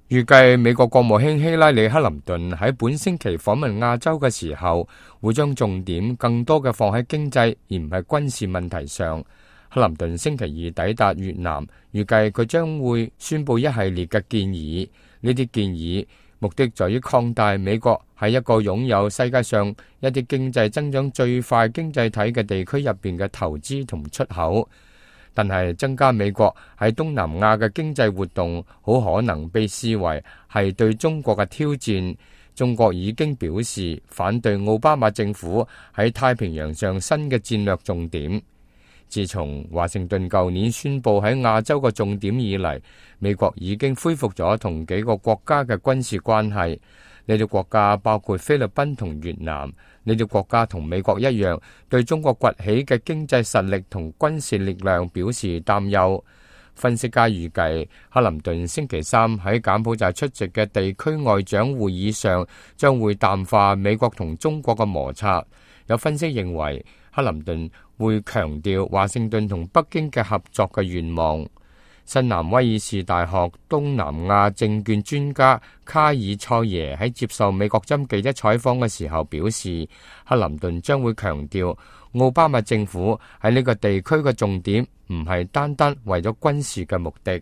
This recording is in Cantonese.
預計美國國務卿希拉里克林頓喺本星期訪問亞洲嘅時候，會將重點更多嘅放喺經濟，而唔係軍事問題上。克林頓星期二抵達越南，預計佢將會宣布一系列嘅建議。呢啲建議目的在於擴大美國喺一個擁有世界上一啲經濟增長最快經濟體嘅地區入邊嘅投資同出口。但係增加美國喺東南亞嘅經濟活動，好可能被視為係對中國嘅挑戰。中國已經表示反對奧巴馬政府喺太平洋上新嘅戰略重點。自從華盛頓舊年宣布喺亞洲嘅重點以嚟，美國已經恢復咗同幾個國家嘅軍事關係。呢啲國家包括菲律賓同越南。呢啲國家同美國一樣，對中國崛起嘅經濟實力同軍事力量表示擔憂。分析家預計，克林頓星期三喺柬埔寨出席嘅地區外長會議上，將會淡化美國同中國嘅摩擦。有分析認為，克林頓會強調華盛頓同北京嘅合作嘅願望。新南威爾士大學東南亞證券專家卡爾塞耶喺接受美國針記者採訪嘅時候表示，克林頓將會強調奧巴馬政府喺呢個地區嘅重點唔係單單為咗軍事嘅目的。